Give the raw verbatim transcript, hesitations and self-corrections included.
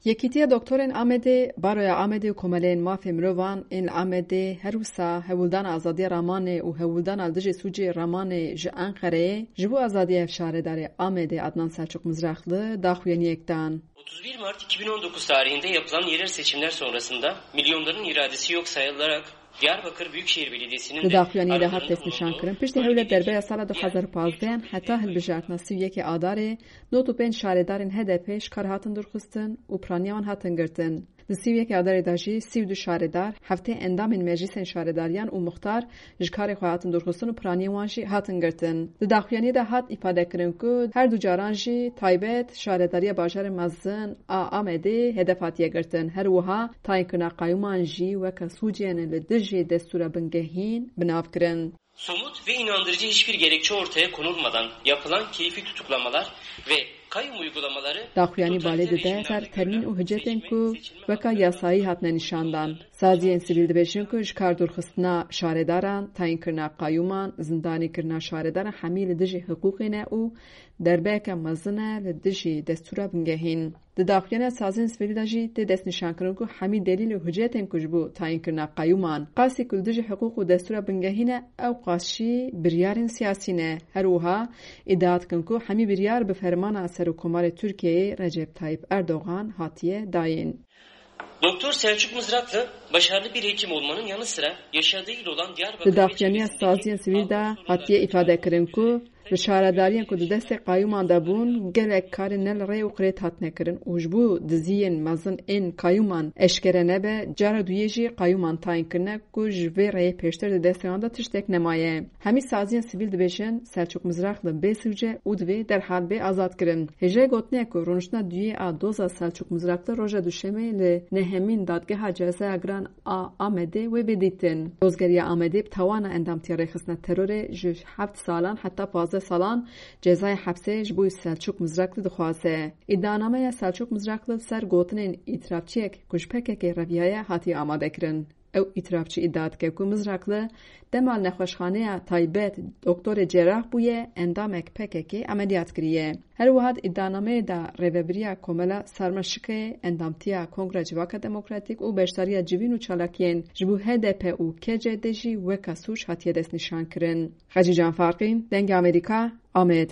Yekîtiya Doktorên Amedê, Baroya Amedê û Komeleyên Mafê Mirovan ên li Amedê her wisa hewldana azadiya ramanê û hewldana li dijî sûcê ramanê ji Enqereyê ji bo azadiya şaredarê Amedê Adnan Selçuk Mizrakli daxuyaniyek dan. otuz bir Mart iki bin on dokuz tarihinde yapılan yerel seçimler sonrasında milyonların iradesi yok sayılarak Diyarbakır Büyükşehir Belediyesi'nin Di daxuyaniyê de hat destnîşankirin, piştî hewlê derbeya sala du hezar û pazdeh heta hilbijartina sî û yekê Adarê, nod û pênc şaredarên H D P ji kar hatin dûrxistin û piraniya wan hatin girtin. Di sî û yekê Adarê de jî sî û du şaredar, heftê endamên meclîsên şaredariyan û muxtar ji karê xwe hatin dûrxistin û piraniyên wan jî hatin girtin. Di daxuyaniyê de hat îfadekirin ku her du caran jî taybet şaredariya bajarê mezin a Amedê hedef hatiye girtin. Her wiha tayînkirina qayûman jî weke sûcên li dijî destûra bingehîn bi nav kirin. Somut ve inandırıcı hiçbir gerekçe ortaya konulmadan yapılan keyfi tutuklamalar ve kayyum uygulamaları Daxuyanî balê dide ser termîn û hicetên ku weka yasayî hatine nîşandan. Saziyên sivîl dibêjin ku ji kar dûrxistina şaredaran, tayînkirina qayûman, zindanîkirina şaredaran hemî li dijî hiqûqê ne û derbeyeke mezin e li dijî destûra bingehîn. Di daxuyana saziyên sivîl de jî tê destnîşankirin ku hemî delîl û hicetên ku ji bo tayînkirina qayûman, qasî ku li dijî hiqûq û destûra bingehîn e, ew qas jî biryarên siyasî ne. Her wiha îdia dikin ku hemî biryar bi fermana Serokkomarê Tirkiyeyê Recep Tayyip Erdogan hatiye dayîn. Doktor Selçuk Mızraklı başarılı bir hekim olmanın yanı sıra yaşadığı il olan Diyarbakır Di daxuyaniya saziyên sivîl de hatiye îfade kirin ku li şaredariyên ku di destê qayûman de bûn, gelek karên ne li rê û qirêt hatine kirin û ji bo diziyên mezin ên qayûman eşkere nebe, cara duyê jî qayûman tayîn kirine ku ji vê rêyê pêştir di destê wan de tiştek nemaye. Hemî saziyên sivîl dibêjin Selçuk Mizrakli bê sûc e û divê derhal bê azadkirin. Hêjayê gotinê ye ku rûniştina duyê a doza Selçuk Mizrakli roja Duşemê li nehemîn Dadgeha Cezaya Giran a Amedê wê bê dîtin. Dozgeriya Amedê bi tawana endamtiya rêxistina terorê ji heft salan heta pazdeh salan cezaya hepsê ji bo Selçuk Mizrakli dixwaze. Îdianameya Selçuk Mizrakli li ser gotinên îtirafçiyek ku ji P K K reviyaye hatiye amadekirin. Ew îtirafçî îdia dike ku Mizrakli dema li nexweşxaneya taybet doktorê cerah bûye, endamek P K K emeliyat kiriye. Her wiha di îdianameyê de rêvebiriya Komela Sarmaşikê, endamtiya Kongra Civaka Demokratîk û beşdariya civîn û çalakiyên ji bo H D P û K C D jî weka sûc hatiye destnîşankirin. Xecîcan Farqîn, Dengê Amerîka, Amed.